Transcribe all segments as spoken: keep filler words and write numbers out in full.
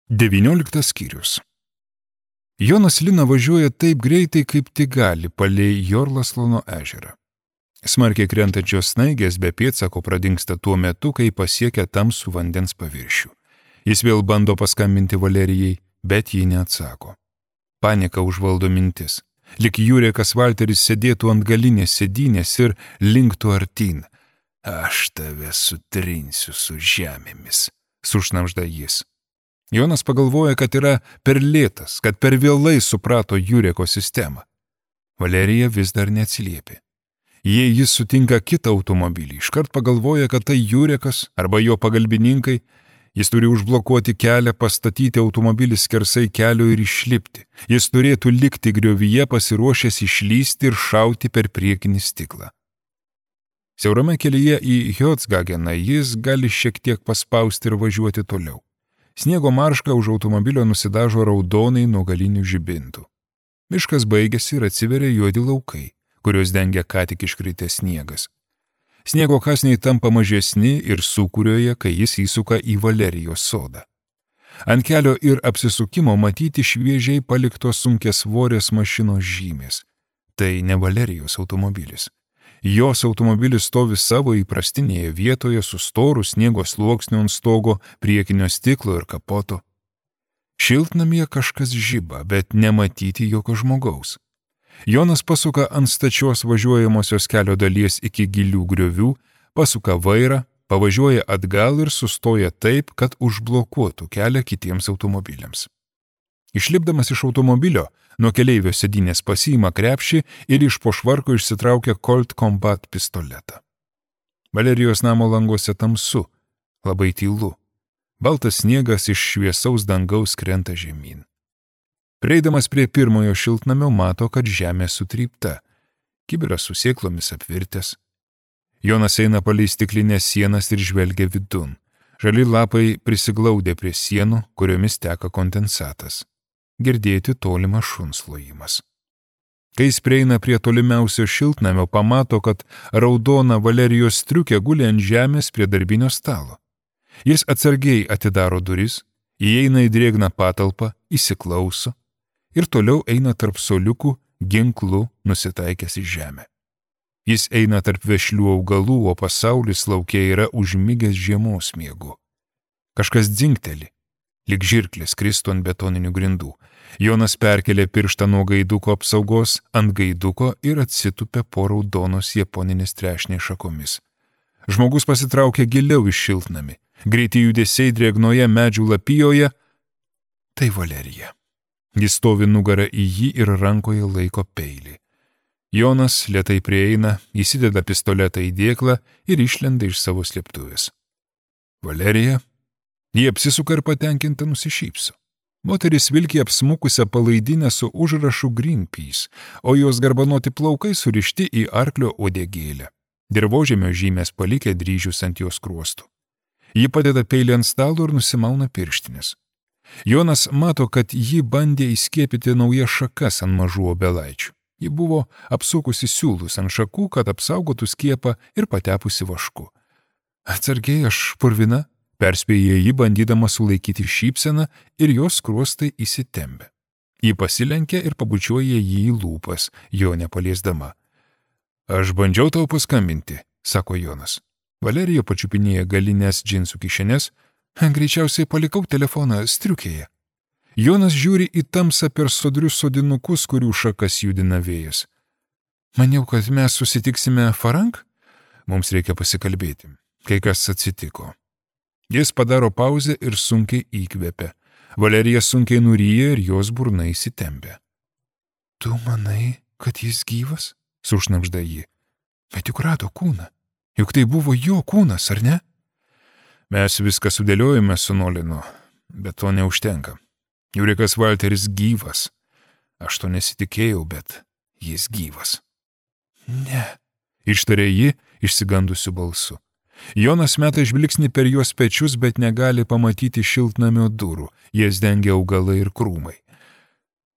Devynioliktas skyrius. Jonas Lina važiuoja taip greitai, kaip tik gali palei Jorlaslono ežerą. Smarkiai krentančios snaigės be pėdsako pradingsta tuo metu, kai pasiekia tamsų vandens paviršių. Jis vėl bando paskambinti Valerijai, bet ji neatsako. Panika užvaldo mintis. Lik Jurekas Valteris sėdėtų ant galinės sėdynės ir linktų artyn. Aš tave sutrinsiu su žemėmis, sušnabžda jis. Jonas pagalvoja, kad yra per lėtas, kad per vėlai suprato Jureko sistemą. Valerija vis dar neatsiliepė. Jei jis sutinka kitą automobilį, iškart pagalvoja, kad tai Jurekas arba jo pagalbininkai, jis turi užblokuoti kelią, pastatyti automobilį skersai kelio ir išlipti. Jis turėtų likti griovyje pasiruošęs išlysti ir šauti per priekinį stiklą. Siaurame kelyje į Hjocgageną jis gali šiek tiek paspausti ir važiuoti toliau. Sniego marška už automobilio nusidažo raudonai nuo galinių žibintų. Miškas baigėsi ir atsiveria juodi laukai, kurios dengia ką tik iškritęs sniegas. Sniego kąsniai tampa mažesni ir sūkurioja, kai jis įsuka į Valerijos sodą. Ant kelio ir apsisukimo matyti šviežiai paliktos sunkiasvorės mašinos žymės. Tai ne Valerijos automobilis. Jos automobilis stovi savo įprastinėje vietoje su storu sniego sluoksniu ant stogo, priekinio stiklo ir kapoto. Šiltnamyje kažkas žiba, bet nematyti jokio žmogaus. Jonas pasuka ant stačios važiuojamosios kelio dalies iki gilių griovių, pasuka vairą, pavažiuoja atgal ir sustoja taip, kad užblokuotų kelią kitiems automobiliams. Išlipdamas iš automobilio, nuo keleivio sėdynės pasiima krepšį ir iš po švarko išsitraukia Colt Combat pistoletą. Valerijos namo languose tamsu, labai tylu. Baltas sniegas iš šviesaus dangaus krenta žemyn. Prieidamas prie pirmojo šiltnamio mato, kad žemė sutrypta, kibiras su sėklomis apvirtęs. Jonas eina palei stiklinės sienas ir žvelgia vidun. Žali lapai prisiglaudę prie sienų, kuriomis teka kondensatas. Girdėti tolimas šuns lojimas. Kai jis prieina prie tolimiausio šiltnamio, pamato, kad raudona Valerijos striukė guli ant žemės prie darbinio stalo. Jis atsargiai atidaro duris, įeina į drėgną patalpą, įsiklauso ir toliau eina tarp soliukų, ginklų nusitaikęs į žemę. Jis eina tarp vešlių augalų, o pasaulis lauke yra užmigęs žiemos miegu. Kažkas dzingteli. Lik žirklės kristų ant betoninių grindų. Jonas perkelė pirštą nuo gaiduko apsaugos ant gaiduko ir atsitupė po raudonos japoninės trešnės šakomis. Žmogus pasitraukė giliau iš šiltnamį. Greiti judesiai drėgnoje medžių lapijoje. Tai Valerija. Jis stovi nugarą į jį ir rankoje laiko peilį. Jonas lėtai prieina, įsideda pistoletą į dėklą ir išlenda iš savo slėptuvės. Valerija. Jie apsisuka ir patenkinta nusišypso. Moteris vilki apsmukusią palaidinę su užrašu Greenpeace, o jos garbanoti plaukai surišti į arklio uodegėlę. Dirvožemio žymės palikę dryžius ant jos kruostų. Ji padeda peilį ant stalo ir nusimauna pirštinės. Jonas mato, kad ji bandė įskiepyti naujas šakas ant mažų obelaičių. Ji buvo apsukusi siūlus ant šakų, kad apsaugotų skiepą ir patepusi vašku. Atsargiai, aš purvina, perspėja ji, bandydama sulaikyti šypseną ir jos skruostai įsitempia. Ji pasilenkia ir pabučiuoja jį į lūpas, jo nepaliesdama. Aš bandžiau tau paskambinti, sako Jonas. Valerija pačiupinėja galinės džinsų kišenės. Greičiausiai palikau telefoną striukėje. Jonas žiūri į tamsą per sodrius sodinukus, kurių šakas judina vėjas. Maniau, kad mes susitiksime Farank? Mums reikia pasikalbėti. Kai kas atsitiko. Jis padaro pauzę ir sunkiai įkvepia. Valerija sunkiai nuryja ir jos burna įsitempia. Tu manai, kad jis gyvas? Sušnabžda ji. Bet juk rado kūną. Juk tai buvo jo kūnas, ar ne? Mes viską sudėliojame su Nolinu, bet to neužtenka. Jurekas Valteris gyvas. Aš to nesitikėjau, bet jis gyvas. Ne, ištarė ji išsigandusiu balsu. Jonas meta žvilgsnį per jos pečius, bet negali pamatyti šiltnamio durų, jas dengia augalai ir krūmai.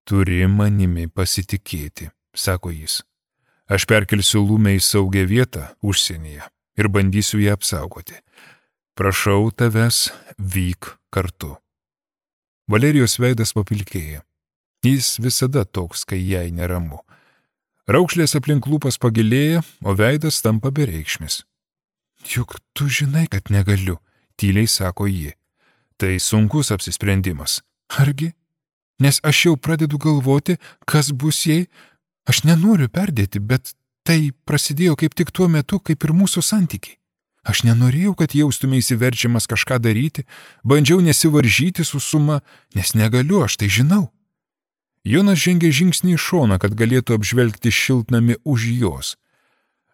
Turi manimi pasitikėti, sako jis. Aš perkelsiu Lumę į saugią vietą užsienyje ir bandysiu ją apsaugoti. Prašau tavęs, vyk kartu. Valerijos veidas papilkėja. Jis visada toks, kai jai neramu. Raukšlės aplink lūpas pagilėja, o veidas tampa bereikšmis. Juk tu žinai, kad negaliu, tyliai sako ji. Tai sunkus apsisprendimas. Argi? Nes aš jau pradedu galvoti, kas bus jei. Aš nenoriu perdėti, bet tai prasidėjo kaip tik tuo metu, kaip ir mūsų santykiai. Aš nenorėjau, kad jaustumėsi verčiamas kažką daryti, bandžiau nesivaržyti su suma, nes negaliu, aš tai žinau. Jonas žengė žingsnį į šoną, kad galėtų apžvelgti šiltnamį už jos.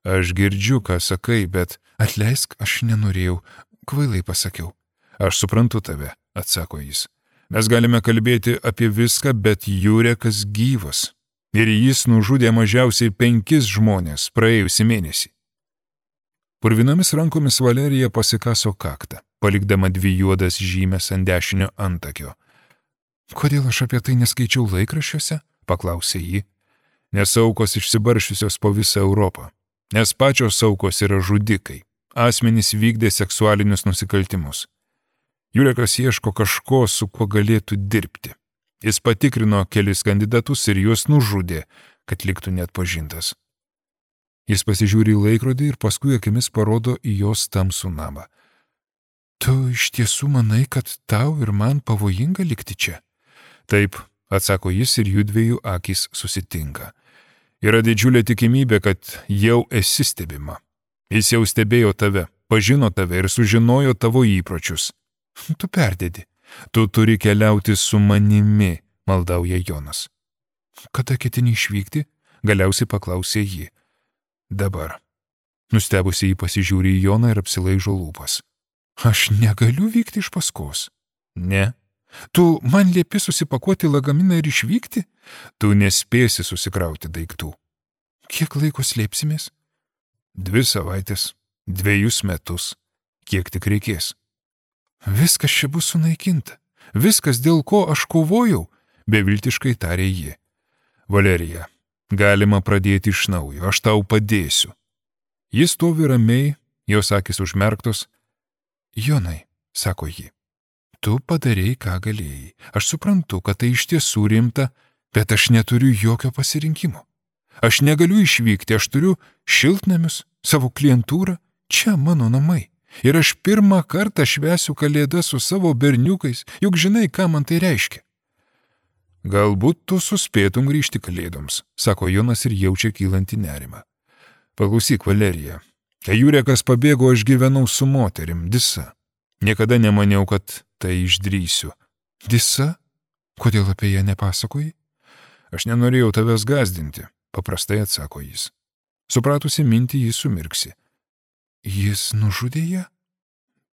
Aš girdžiu, ką sakai, bet atleisk, aš nenorėjau, kvailai pasakiau. Aš suprantu tave, atsako jis. Mes galime kalbėti apie viską, bet Jurekas gyvas. Ir jis nužudė mažiausiai penkis žmonės praėjusį mėnesį. Purvinomis rankomis Valerija pasikaso kaktą, palikdama dvi juodas žymės ant dešinio antakio. Kodėl aš apie tai neskaičiau laikraščiuose? Paklausė ji. Nes aukos išsibaršiusios po visą Europą. Nes pačios aukos yra žudikai. Asmenys vykdė seksualinius nusikaltimus. Jurekas ieško kažko, su kuo galėtų dirbti. Jis patikrino kelis kandidatus ir juos nužudė, kad liktų neatpažintas. Jis pasižiūri į laikrodį ir paskui akimis parodo į jos tamsų namą. Tu iš tiesų manai, kad tau ir man pavojinga likti čia? Taip, atsako jis ir judviejų akys susitinka. Yra didžiulė tikimybė, kad jau esi stebima. Jis jau stebėjo tave, pažino tave ir sužinojo tavo įpročius. Tu perdedi. Tu turi keliauti su manimi, maldauja Jonas. Kada ketini išvykti? Galiausiai paklausė ji. Dabar. Nustebusi jį pasižiūri į Joną ir apsilaižo lūpas. Aš negaliu vykti iš paskos. Ne. Tu man liepi susipakuoti lagaminą ir išvykti? Tu nespėsi susikrauti daiktų. Kiek laiko slėpsimės? Dvi savaitės, dviejus metus, kiek tik reikės. Viskas čia bus sunaikinta. Viskas, dėl ko aš kovojau, beviltiškai tarė ji. Valerija, galima pradėti iš naujo, aš tau padėsiu. Jis stovi ramiai, jos akys užmerktos. Jonai, sako ji, tu padarei, ką galėjai. Aš suprantu, kad tai iš tiesų rimta, bet aš neturiu jokio pasirinkimo. Aš negaliu išvykti, aš turiu šiltnamius, savo klientūrą, čia mano namai. Ir aš pirmą kartą švęsiu kalėdas su savo berniukais, juk žinai, ką man tai reiškia. Galbūt tu suspėtum grįžti kalėdoms, sako Jonas ir jaučia kylantį nerimą. Paklausyk, Valerija, kai Jurekas pabėgo, aš gyvenau su moterim, Disa. Niekada nemaniau, kad tai išdrįsiu. Disa? Kodėl apie ją nepasakoji? Aš nenorėjau tavęs gąsdinti, paprastai atsako jis. Supratusi mintį, jis sumirksi. Jis nužudė ją?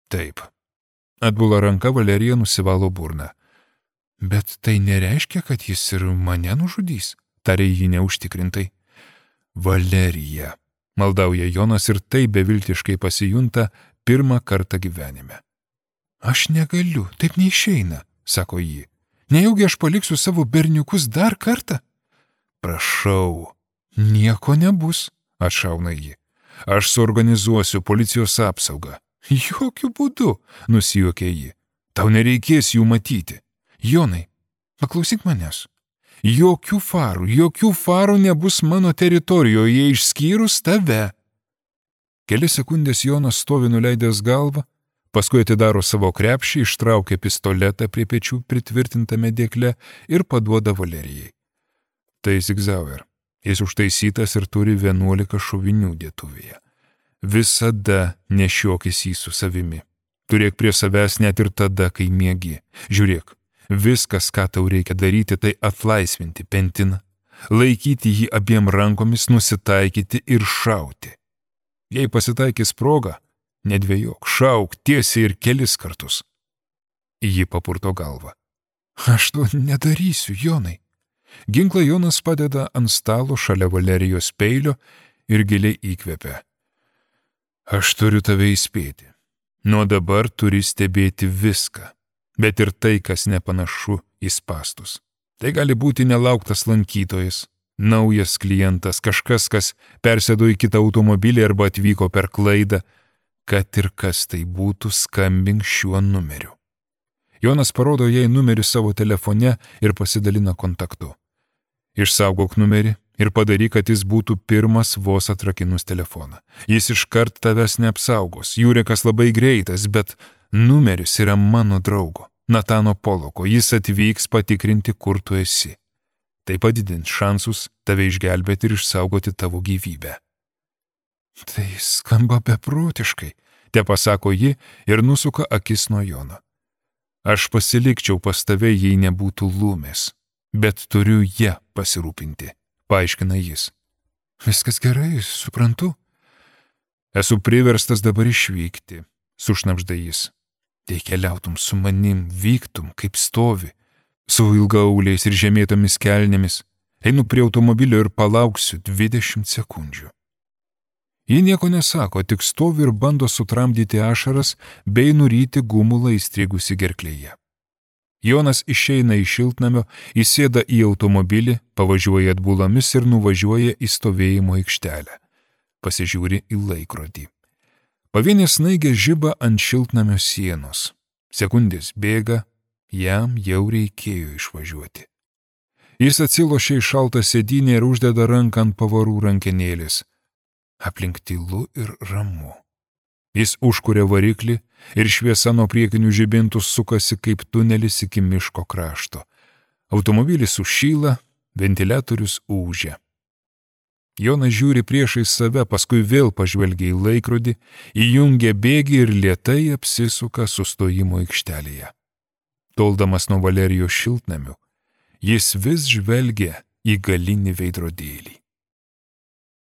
Taip. Atbula ranka, Valerija nusivalo burną. Bet tai nereiškia, kad jis ir mane nužudys, tarė jį neužtikrintai. Valerija, maldauja Jonas ir tai beviltiškai pasijunta pirmą kartą gyvenime. Aš negaliu, taip neišeina, sako ji. Nejaugi aš paliksiu savo berniukus dar kartą? Prašau, nieko nebus, atšauna ji. Aš suorganizuosiu policijos apsaugą. Jokių būdų, nusijuokė ji. Tau nereikės jų matyti. Jonai, paklausyk manęs. Jokių farų, jokių farų nebus mano teritorijoje išskyrus tave. Kelias sekundės Jonas stovi nuleidęs galvą, paskui atidaro savo krepšį, ištraukia pistoletą prie pečių pritvirtintame dėkle ir paduoda Valerijai. Tai Zigzauer. Jis užtaisytas ir turi vienuolika šovinių dėtuvėje. Visada nešiokis jį su savimi. Turėk prie savęs net ir tada, kai miegi. Žiūrėk, viskas, ką tau reikia daryti, tai atlaisvinti Pentiną, laikyti jį abiem rankomis, nusitaikyti ir šauti. Jei pasitaikys proga, nedvejok, šauk tiesiai ir kelis kartus. Ji papurto galvą. Aš to nedarysiu, Jonai. Ginklą Jonas padeda ant stalo šalia Valerijos peilio ir giliai įkvepia. Aš turiu tave įspėti. Nuo dabar turi stebėti viską, bet ir tai, kas nepanašu į spąstus. Tai gali būti nelauktas lankytojas, naujas klientas, kažkas, kas persėdo į kitą automobilį arba atvyko per klaidą, kad ir kas tai būtų, skambink šiuo numeriu. Jonas parodo jai numerį savo telefone ir pasidalina kontaktu. Išsaugok numerį ir padaryk, kad jis būtų pirmas vos atrakinus telefoną. Jis iškart tavęs neapsaugos, Jurekas labai greitas, bet numeris yra mano draugo, Natano Poloko, jis atvyks patikrinti, kur tu esi. Tai padidins šansus tave išgelbėti ir išsaugoti tavo gyvybę. Tai skamba beprotiškai, te pasako ji ir nusuka akis nuo Jono. Aš pasilikčiau pas tave, jei nebūtų Lūmės, bet turiu ją pasirūpinti, paaiškina jis. Viskas gerai, suprantu. Esu priverstas dabar išvykti, sušnabžda jis. Tai keliautum su manim, vyktum, kaip stovi, su ilgaauliais ir žemėtomis kelnėmis. Einu prie automobilio ir palauksiu dvidešimt sekundžių. Ji nieko nesako, tik stovi ir bando sutramdyti ašaras bei nuryti gumulą įstrigusi gerklėje. Jonas išeina iš šiltnamio, įsėda į automobilį, pavažiuoja atbulomis ir nuvažiuoja į stovėjimo aikštelę. Pasižiūri į laikrodį. Pavienė snaigė žiba ant šiltnamio sienos. Sekundės bėga, jam jau reikėjo išvažiuoti. Jis atsilošia į šaltą sėdynę ir uždeda ranką ant pavarų rankenėlės. Aplink tylu ir ramu. Jis užkuria variklį ir šviesa nuo priekinių žibintų sukasi kaip tunelis iki miško krašto. Automobilis sušyla, ventiliatorius ūžia. Jonas žiūri priešais save, paskui vėl pažvelgia į laikrodį, įjungia bėgį ir lėtai apsisuka sustojimo aikštelėje. Toldamas nuo Valerijos šiltnamių, jis vis žvelgia į galinį veidrodėlį.